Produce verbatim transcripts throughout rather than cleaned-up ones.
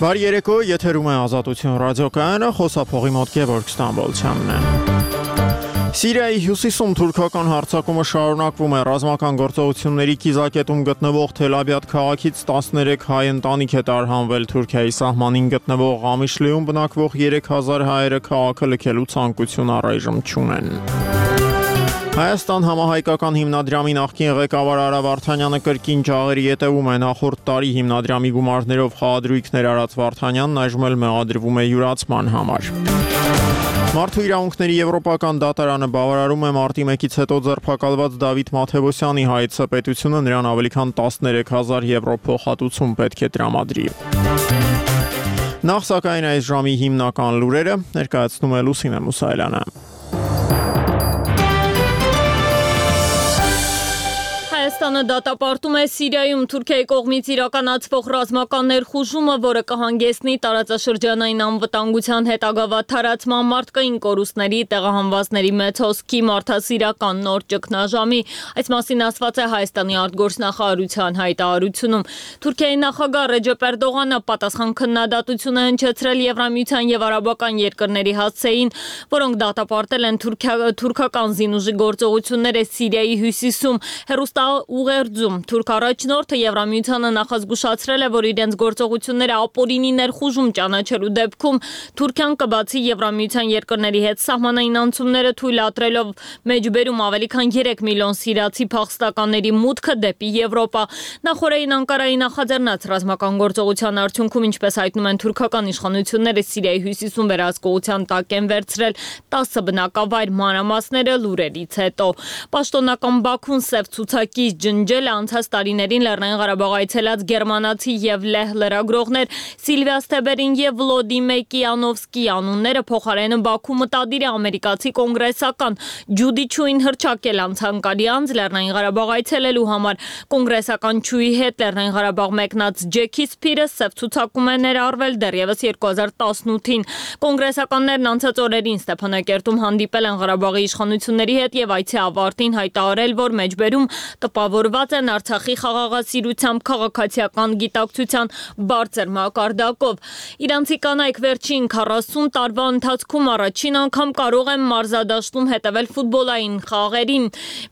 Բարի երեկո, եթերում է Ազատություն ռադիոկայանը, խոսափողի մոտ Գևորգ Ստամբոլցյանն է։ Սիրիայի հյուսիսում թուրքական հարձակումը շարունակվում է, ռազմական գործողությունների կիզակետում գտնվող Թել-Աբիադ քաղաքից տասներեք հայ ընտանիք է տարհանվել, Թուրքիայի սահմանին գտնվող Ղամիշլիում բնակվող երեք հազար հայերը քաղաքը լքելու ցանկություն առայժմ չունեն։ Հայաստան համահայկական հիմնադրամի նախկին ղեկավար Արա Վարդանյանը կրկին ջաղերի ետևում է, նախորդ տարի հիմնադրամի գումարներով խաղադրույքներ արած Վարդանյանն այժմ էլ մեղադրվում է յուրացման համար։ Մարդու իրավունքների եվրոպական դատարանը բավարարում է մարտի մեկից հետո ձերբակալված Դավիթ Մաթևոսյանի հայցը, պետությունը նրան ավելի քան տասներեք հազար եվրո փոխհատուցում պետք է տրամադրի։ Նախ սակայն այս ժամի հիմնական լուրերը ներկայացնում է Լուսինե Մուսայելյանը։ Հայաստանը դատապարտում է Սիրիայում Թուրքիայի կողմից իրականացվող ռազմական ներխուժումը, որը կհանգեցնի տարածաշրջանային անվտանգության հետագա վատթարացման, մարդկային կորուստների, տեղահանվածների մեծ հոսքի, մարդասիրական նոր ճգնաժամի։ Այս մասին ասված է Հայաստանի արտգործնախարարության հայտարարությունում։ Թուրքիայի նախագահ Ռեջեփ Էրդողանը պատասխան քննադատություն է հնչեցրել Եվրամիության եւ արաբական երկրների հասցեին, որոնք դատապարտել են թուրքական զինուժի գործողությունները Սիրիայի հյուսիսում։ Հեռուստա ուղերձում թուրք առաջնորդը Եվրամիությանը նախազգուշացրել է, որ իրենց գործողությունները ապօրինի ներխուժում ճանաչելու դեպքում Թուրքիան կբացի Եվրամիության երկրների հետ սահմանային անցումները թույլատրելով մեջբերում ավելի քան երեք միլիոն սիրիացի փախստականների մուտքը դեպի Եվրոպա։ Նախորդին Անկարայի նախաձեռնած ռազմական գործողության արդյունքում, ինչպես հայտնում են թուրքական իշխանությունները, Սիրիայի հյուսիսում վերահսկողության տակ են վերցրել տասը բնակավայր, մանրամասները լուրերից հետո։ Պաշտոնական Բաքուն սև ցուցակի ջնջել անցած տարիներին Լեռնային Ղարաբաղ այցելած գերմանացի եւ լեհ լրագրողներ Սիլվիա Ստեբերին եւ Վլոդիմիր Կիանովսկի անունները, փոխարենը Բաքու մտադիր է ամերիկացի կոնգրեսական Ջուդի Չուին հռչակել անցանկալի անձ Լեռնային Ղարաբաղ այցելելու համար։ Կոնգրեսական Չուի հետ Լեռնային Ղարաբաղ մեկնած Ջեքի Սփիրը սև ցուցակում է ներառվել դեռևս երկու հազար տասնութին։ Կոնգրեսականներն անցած օրերին Ստեփանակերտում հանդիպել են Ղարաբաղի իշխանությունների հետ եւ այցի ավարտին հայտարարել, որ մեջբերում տպավորված են Արցախի խաղաղասիրությամբ, քաղաքացիական գիտակցության բարձր մակարդակով։ Իրանցի կանայք վերջին քառասուն տարվա ընթացքում առաջին անգամ կարող են մարզադաշտում հետևել ֆուտբոլային խաղերին։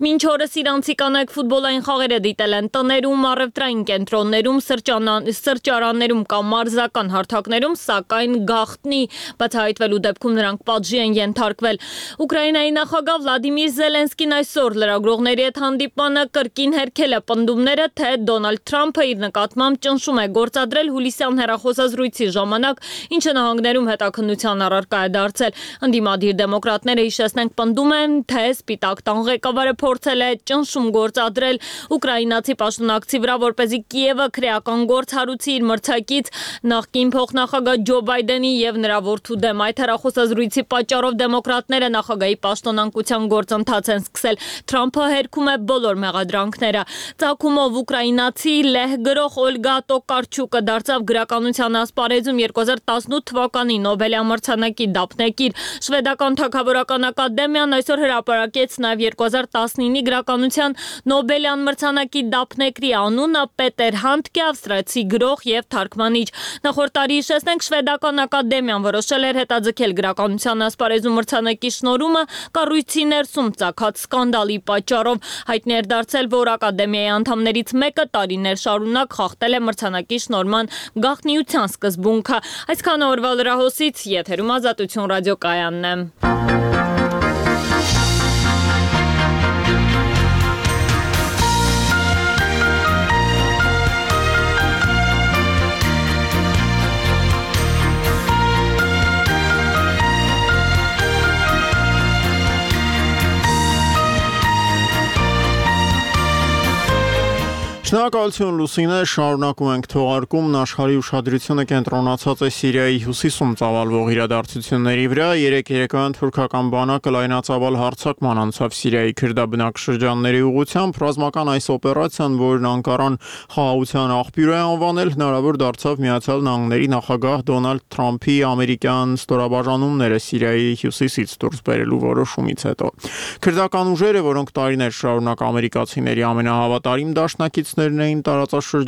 Մինչ օրս իրանցի կանայք ֆուտբոլային խաղերը դիտել են տներում, առևտրային կենտրոններում, սրճարաններում կամ մարզական հարթակներում, սակայն գաղտնի բացահայտվելու դեպքում նրանք պատժի են ենթարկվել։ Ուկրաինայի նախագահ Վլադիմիր Զելենսկին այսօր լրագրողների հետ հանդիպանը կրկին հերքել է պնդումները, թե Դոնալդ Թրամփը իր նկատմամբ ճնշում է գործադրել հուլիսյան հեռախոսազրույցի ժամանակ, ինչը նահանգներում հետաքննության առարկա է դարձել։ Ընդդիմադիր դեմոկրատները, հիշեցնենք, պնդում են, թե Սպիտակ տան ղեկավարը փորձել է ճնշում գործադրել ուկրաինացի պաշտոնակցի վրա, որպեսզի Կիևը քրեական գործ հարուցի իր մրցակից նախկին փոխնախագահ Ջո Բայդենի եւ նրա որդու դեմ։ Այդ հեռախոսազրույցի պատճառով դեմոկրատները նախագահի պաշտոնակության գործընթաց են սկսել։ Թրամփը հերքում է բոլոր մեղադրանքները։ Ծագումով ուկրաինացի լեհ գրող Օլգա Տոկարչուկը դարձավ գրականության ասպարեզում երկու հազար տասնութ թվականի Նոբելյան մրցանակի դափնեկիր։ Շվեդական թագավորական ակադեմիան այսօր հրապարակեց նաև երկու հազար տասնինի գրականության Նոբելյան մրցանակի դափնեկրի անունը Պետեր Հանդկե, ավստրիացի գրող եւ թարգմանիչ։ Նախորդ տարի, հիշեցնենք, շվեդական ակադեմիան որոշել էր հետաձգել գրականության ասպարեզում մրցանակի շնորհումը կառույցի ներսում ծագած սկանդալի պատճառով։ Հայտնի էր դարձել, որ ակադեմիայի անդամներից մեկը տարիներ շարունակ խախտել է մրցանակի շնորհման գաղտնիության սկզբունքը։ Այսքան օրվա լրահոսից, եթերում Ազատություն ռադիոկայանն է։ Շնորհակալություն Լուսինե, շարունակում ենք թողարկումն, աշխարհի ուշադրությունը կենտրոնացած է Սիրիայի հյուսիսում ծավալվող իրադարձությունների վրա։ Երեկ երեկոյան թուրքական բանակը լայնածավալ հարձակման անցավ Սիրիայի քրդաբնակ շրջանների ուղղությամբ։ Ռազմական այս օպերացիան, որն Անկարան խաղաղության աղբյուր է անվանել, հնարավոր դարձավ Միացյալ Նահանգների նախագահ Դոնալդ Թրամփի ամերիկյան ստորաբաժանումները Սիրիայի հյուսիսից դուրս բերելու որոշումից հետո։ Քրդական ուժերը, որոնք տարիներ շարունակ ամերիկացիների ամենահավատարիմ դաշնակիցներն էին տարածաշրջանում,